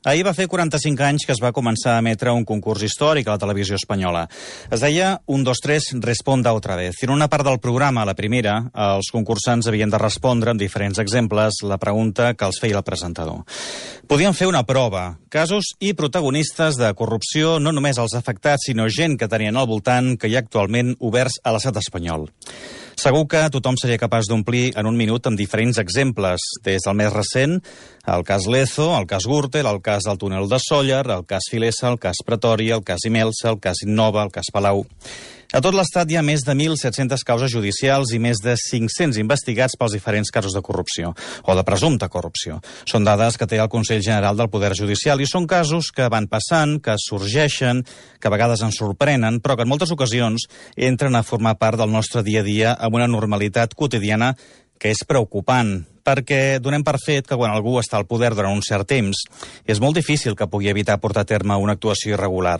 Ahir va fer 45 anys que es va començar a emetre un concurs històric a la televisió espanyola. Es deia 1, 2, 3, responda otra vez. I en una part del programa, la primera, els concursants havien de respondre amb diferents exemples la pregunta que els feia el presentador. Podien fer una prova, casos i protagonistes de corrupció, no només els afectats, sinó gent que tenien al voltant que hi ha actualment oberts a l'estat espanyol. Segur que tothom seria capaç d'omplir en un minut amb diferents exemples, des del més recent, el cas Lezo, el cas Gürtel, el cas del túnel de Sóller, el cas Filesa, el cas Pretòria, el cas Imelsa, el cas Innova, el cas Palau. A tot l'estat hi ha més de 1.700 causes judicials i més de 500 investigats pels diferents casos de corrupció, o de presumpta corrupció. Són dades que té el Consell General del Poder Judicial i són casos que van passant, que sorgeixen, que a vegades ens sorprenen, però que en moltes ocasions entren a formar part del nostre dia a dia amb una normalitat quotidiana que és preocupant, perquè donem per fet que quan algú està al poder durant un cert temps és molt difícil que pugui evitar portar a terme una actuació irregular.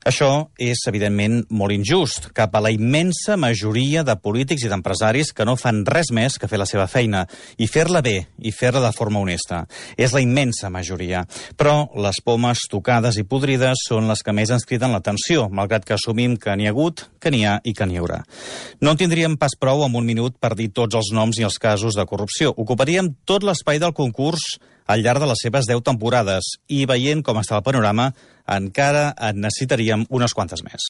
Això és, evidentment, molt injust cap a la immensa majoria de polítics i d'empresaris que no fan res més que fer la seva feina i fer-la bé i fer-la de forma honesta. És la immensa majoria. Però les pomes tocades i podrides són les que més ens criden l'atenció, malgrat que assumim que n'hi ha hagut, que n'hi ha i que n'hi haurà. No en tindríem pas prou amb un minut per dir tots els noms i els casos de corrupció. Ocuparíem tot l'espai del concurs al llarg de les seves 10 temporades i veient com està el panorama encara en necessitaríem unes quantes més.